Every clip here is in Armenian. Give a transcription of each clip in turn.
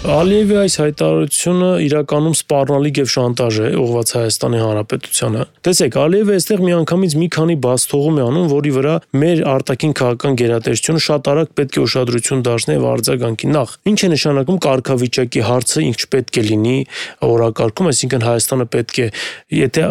Ալիևի այս հայտարարությունը իրականում սպառնալիք եւ շանտաժ է ուղղված Հայաստանի Հանրապետությանը։ Տեսեք, Ալիևը այստեղ միանգամից մի քանի բացթողում է անում, որի վրա մեր արտաքին քաղաքական գերատեսչությունը շատ արագ պետք է ուշադրություն դարձնի եւ արձագանքի։ Նախ, ինչ է նշանակում կարգավիճակի հարցը, ինչ պետք է լինի օրակարգում, այսինքն Հայաստանը պետք է, եթե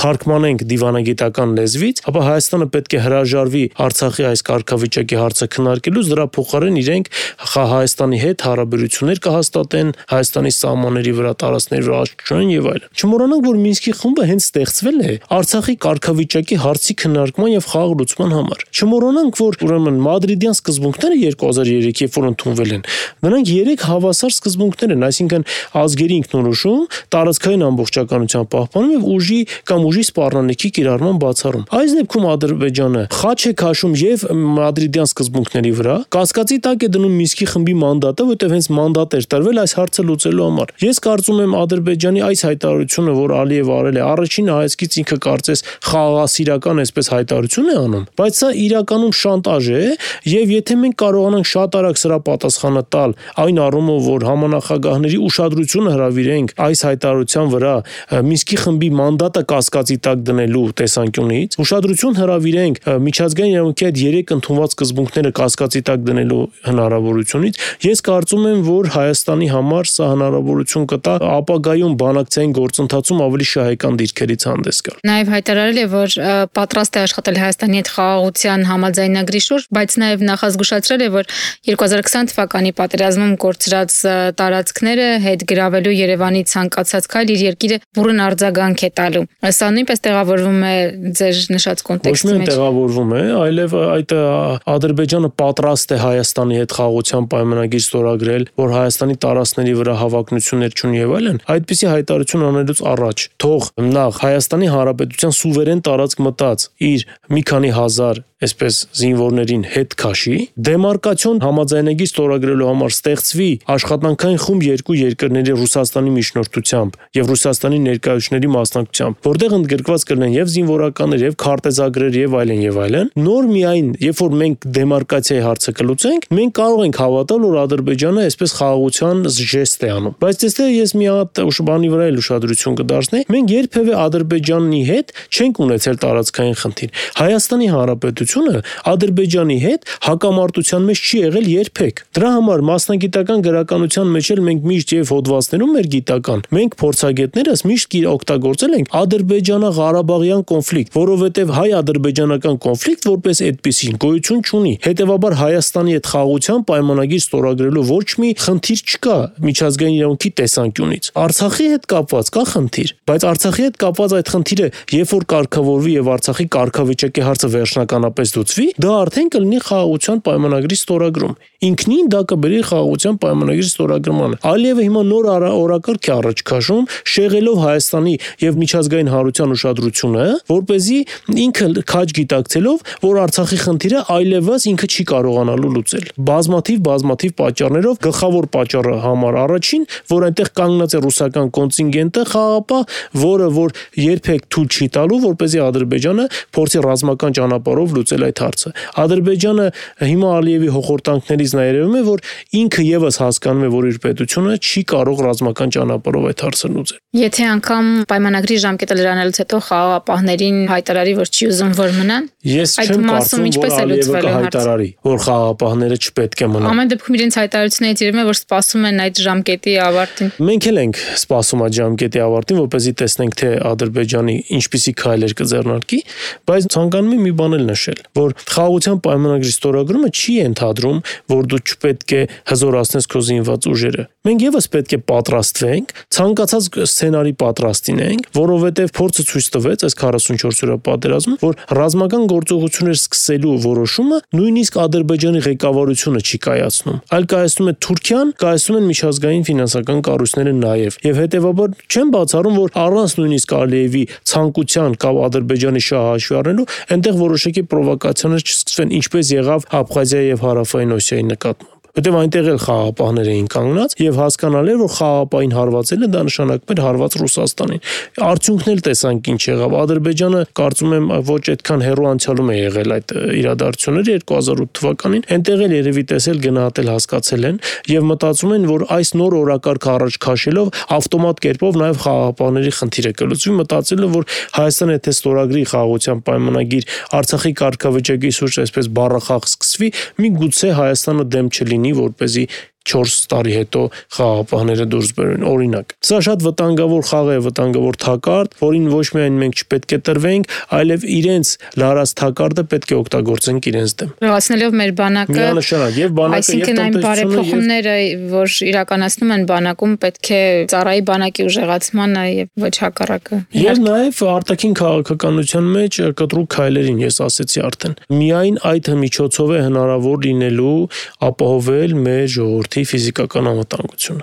թարգմանենք դիվանագիտական լեզվից, ապա Հայաստանը պետք է հրաժարվի Արցախի այս կարգավիճակի հարցը քննարկելուց, դրա փոխարեն իրենք Հայաստանի հետ հարաբերություններ կհաստատեն, Հայաստանի սահմանների վրա, տարածքների վրա աչքչեն եւ այլն։ Չմոռանանք, որ Մինսկի խումբը հենց ստեղծվել է Արցախի կարգավիճակի հարցի քննարկման եւ խաղաղ լուծման համար։ Չմոռանանք, որ ուրեմն մադրիդյան սկզբունքները 2003, երբ որ ընդունվել են, նրանք 3 հավասար սկզբունքներ են, այսինքն ազգերի ինքնորոշում, տարածքային ամբողջականության պահպանում եւ ուժի կամ ուժի սպառնալիքի կիրառման բացառում։ Այս դեպքում Ադրբեջանը խաչ է քաշում եւ մադրիդյան սկզբունքների վրա, կասկածի տակ է դնում Մինսկի խմբի մանդատը, որտեղ հենց մանդատ էր տրվել այս հարցը լուծելու համար։ Ես կարծում եմ Ադրբեջանի այս հայտարարությունը, որ Ալիևը արել է, առաջին հայացքից ինքը կարծես խաղաղասիրական այսպես հայտարարություն է անում, բայց սա իրականում շանտաժ է եւ եթե մենք կարողանանք շատ արագ սրա պատասխանը տալ, այն առումով, որ համանախագահների ուշադրությունը հրավիրենք այս հայտարարության վրա Մինսկի խմբի մանդատը կասկածի տակ դնելու տեսանկյունից, ուշադրություն հրավիրենք միջազգային իրավունքի այդ 3 ընդունված սկզբունքները կասկածի տակ դնելու հնարավորությունից, ես կարծում եմ, որ Հայաստանի համար սա հնարավորություն կտա ապագայում բանակցային գործընթացում ավելի շահեկան դիրքերից հանդես գալ։ Նաև հայտարարել է, որ պատրաստ է աշխատել Հայաստանի հետ խաղաղության համաձայնագրի շուրջ, բայց նաև նախազգուշացրել է, որ 2020 թվականի պատերազմում կորցրած տարածքները հետ գրավելու Երևանի ցանկացած քայլ իր երկիրը բուռն արձագանք է տալու։ Սա նույնպես տեղավորվում է ձեր նշած կոնտեքստի մեջ։ Ոչ միայն տեղավորվում է, այլև այդ Ադրբեջանը պատրաստ է Հայաստանի հետ խաղաղության պայմանագիր ստորագրել, որ Հայաստանի տարածքների վրա հավակնություններ չունի եւ այլն, այդպիսի հայտարարություն անելուց առաջ թող նախ Հայաստանի Հանրապետության սուվերեն տարածք մտած իր մի քանի հազար այսպես զինվորներին հետ քաշի, դեմարկացիոն համաձայնագիր ստորագրելու համար ստեղծվի աշխատանքային խումբ երկու երկրների Ռուսաստանի միջնորդությամբ եւ Ռուսաստանի ներկայացուցիչների մասնակցությամբ, որտեղ ընդգրկված կլինեն եւ զինվորականներ եւ քարտեզագրեր եւ այլն, նոր միայն երբ որ մենք դեմարկացիայի հարցը կլուծենք, մենք կարող ենք հավատալ, որ Ադրբեջանը այսպես խաղաղության ժեստ է անում։ Բայց այստեղ ես մի հատ բանի վրա էլ ուշադրություն կդարձնեի, մենք երբևէ Ադրբեջանի հետ չենք ունեցել տարածքային խնդիր։ Հայաստանի Հանրապետությունը Ադրբեջանի հետ հակամարտության մեջ չի եղել երբեք։ Դրա համար մասնագիտական գրականության մեջ էլ մենք միշտ եւ հոդվածներում մեր գիտական, մենք փորձագետներս միշտ օգտագործել ենք Ադրբեջանա-Ղարաբաղյան կոնֆլիկտ, որովհետեւ հայ-ադրբեջանական կոնֆլիկտ որպես այդպեսին գոյություն չունի։ Հետևաբար Հայաստանի հետ խաղաղության պայմանագիր ստորագրելու ոչ մի խնդիր չկա միջազգային իրավունքի տեսանկյունից։ Արցախի հետ կապված կա խնդիր, բայց Արցախի հետ կապված այդ խնդիրը, երբ որ կարգավորվի եւ Արցախի կարգավիճակի հարցը վերջնականապես լուծվի, դա արդեն կլինի խաղաղության պայմանագրի ստորագրում։ Ինքնին դա կբերի խաղաղության պայմանագրի ստորագրմանը։ Ալիևը հիմա նոր օրակարգ է առաջ քաշում, շեղելով Հայաստանի եւ միջազգային հանրության ուշադրությունը, որպեսզի ինքը քաջ գիտակցելով, որ Արցախի խնդիրը այլևս ինքը չի կարողանալու լուծել։ Բազմաթիվ պատճառներով, գլխավոր պատճառը համար առաջին, որ այնտեղ կանգնած է ռուսական կոնտինգենտը խաղապահ, որը որ երբեք թույլ չի տալու, որպեսզի Ադրբեջանը փորձի ռազմական ճանապարհով լուծել այդ հարցը։ Ադրբեջանը հիմա Ալիևի հոխորտանքներից նա երևում է, որ ինքը եւս հասկանում է, որ իր պետությունը չի կարող ռազմական ճանապարհով այդ հարցը լուծել։ Եթե անգամ պայմանագրի ժամկետը լրանալուց հետո խաղաղապահներին հայտարարի, որ չի ուզում որ մնան, ես չեմ կարծում, որ Ալիևը կհայտարարի, որ խաղաղապահները չպետք է մնան։ Ամեն դեպքում իրենց հայտարարություններից երևում է, որ սպասում են այդ ժամկետի ավարտին։ Մենք էլ ենք սպասում այդ ժամկետի ավարտին, որպեսզի տեսնենք, թե Ադրբեջանի ինչպիսի քայլեր կձեռնարկի, բայց ցանկանում եմ մի բան էլ նշել, որ խաղաղության պայմանագրի ստորագրումը չի ենթադրում, որ դու չպետք է հզորացնես քո զինված ուժերը։ Մենք եւս պետք է պատրաստվենք, ցանկացած սցենարի պատրաստ լինենք, որովհետեւ փորձը ցույց տվեց այս 44 օրյա պատերազմում, որ ռազմական գործողություններ սկսելու որոշումը նույնիսկ Ադրբեջանի ղեկավարությունը չի կայացնում, այլ կայացնում է Թուրքիան, կայացնում են միջազգային ֆինանսական կառույցները նաեւ։ Եվ հետեւաբար չեմ բացառում, որ առանց նույնիսկ Ալիևի ցանկության կամ Ադրբեջանի շահը հաշվի առնելու, այնտեղ որոշակի պրովոկացիաներ չսկսվեն, ինչպես եղավ Աբխազիայի եւ Հարավային Օսիայի նկատմամբ։ որտեղ այնտեղ էլ խաղաղապահներ էին կանգնած եւ հասկանալ էր, որ խաղաղապահին հարվածելը դա նշանակում էր հարված Ռուսաստանին։ Արդյունքն էլ տեսանք ինչ եղավ։ Ադրբեջանը կարծում եմ ոչ այդքան հեռու անցյալում է եղել այդ իրադարձությունները 2008 թվականին, այնտեղ էլ երևի տեսել, գնահատել, հասկացել են եւ մտածում են, որ այս նոր օրակարգը առաջ քաշելով ավտոմատ կերպով նաեւ խաղաղապահների խնդիրը կլուծվի, մտածելով, որ Հայաստանը եթե ստորագրի խաղաղության պայմանագիր Արցախի կարգավիճակի շուրջ այսպես բառախաղ սկսվի, միգուցե Հայաստանը դեմ չլինի, որպեսզի 4 տարի հետո խաղաղապահները դուրս բերեն, օրինակ։ Սա շատ վտանգավոր խաղ է, վտանգավոր թակարդ, որին ոչ միայն մենք չպետք է տրվենք, այլև իրենց լարած թակարդը պետք է օգտագործենք իրենց դեմ։ Լրացնելով մեր բանակը, միանշանակ եւ բանակը եւ այն բարեփոխումները, որ իրականացնում են բանակում, պետք է ծառայի բանակի ուժեղացմանը եւ ոչ հակառակը։ Եվ նաեւ արտաքին քաղաքականության մեջ կտրուկ քայլերին ես ասեցի արդեն։ Միայն այդ միջոցով է հնարավոր լինելու ապահովել մեր ժողովրդի ֆիզիկական անվտանգությունը։